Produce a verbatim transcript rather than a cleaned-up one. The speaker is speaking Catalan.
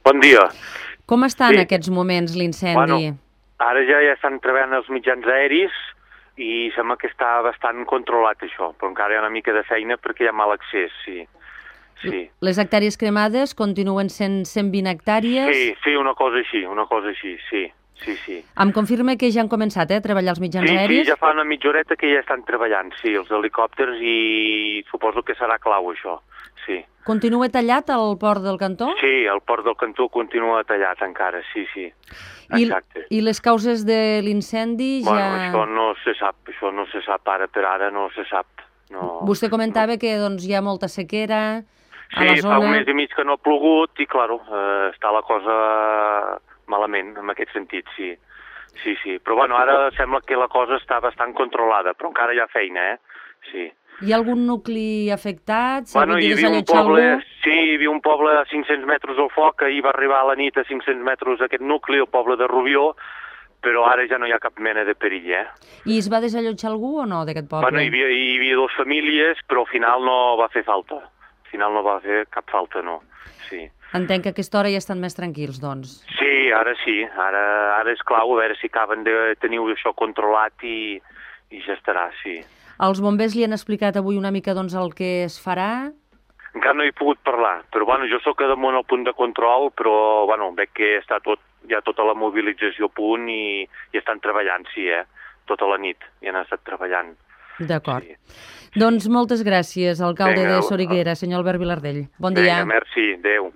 Bon dia. Com està Sí. en aquests moments l'incendi? Bueno, ara ja ja estan treballant els mitjans aeris i sembla que està bastant controlat això, però encara hi ha una mica de feina perquè hi ha mal accés, sí. sí. Les hectàrees cremades continuen sent cent vint hectàrees? Sí, sí, una cosa així, una cosa així, sí. Sí, sí. Em confirma que ja han començat eh, a treballar els mitjans sí, aeris? Sí, ja fa una mitja horeta que ja estan treballant, sí, els helicòpters, i suposo que serà clau això, sí. Continua tallat el port del Cantó? Sí, el port del Cantó continua tallat encara, sí, sí, exacte. I, i les causes de l'incendi ja... Bueno, això no se sap, això no se sap ara per ara, no se sap. No, Vostè comentava no. que doncs, hi ha molta sequera a la sí, zona... fa un mes i mig que no ha plogut i, claro, eh, està la cosa malament, en aquest sentit, sí. Sí, sí, però bueno, ara sembla que la cosa està bastant controlada, però encara hi ha feina, eh? Sí. Hi ha algun nucli afectat? S'ha Bueno, hagut de hi havia un desallotjar poble, algú? sí, hi havia un poble a cinc-cents metres al foc, ahir va arribar a la nit a cinc-cents metres aquest nucli, el poble de Rubió, però ara ja no hi ha cap mena de perill, eh? I es va desallotjar algú o no d'aquest poble? Bueno, hi havia, hi havia dues famílies, però al final no va fer falta. Al final no va fer cap falta, no. Sí. Entenc que a aquesta hora ja estan més tranquils, doncs. Sí, ara sí. Ara, ara és clau, a veure si acaben de tenir això controlat i, i ja estarà, sí. Els bombers li han explicat avui una mica doncs, el que es farà? Encara no he pogut parlar, però bueno, jo sóc a damunt al punt de control, però bueno, veig que està tot, hi ha tota la mobilització a punt i, i estan treballant, sí, eh? Tota la nit hi han estat treballant. D'acord. Sí. Doncs moltes gràcies, alcalde Vinga, de Soriguera, senyor Albert Vilardell. Bon dia. Vinga, merci, adéu.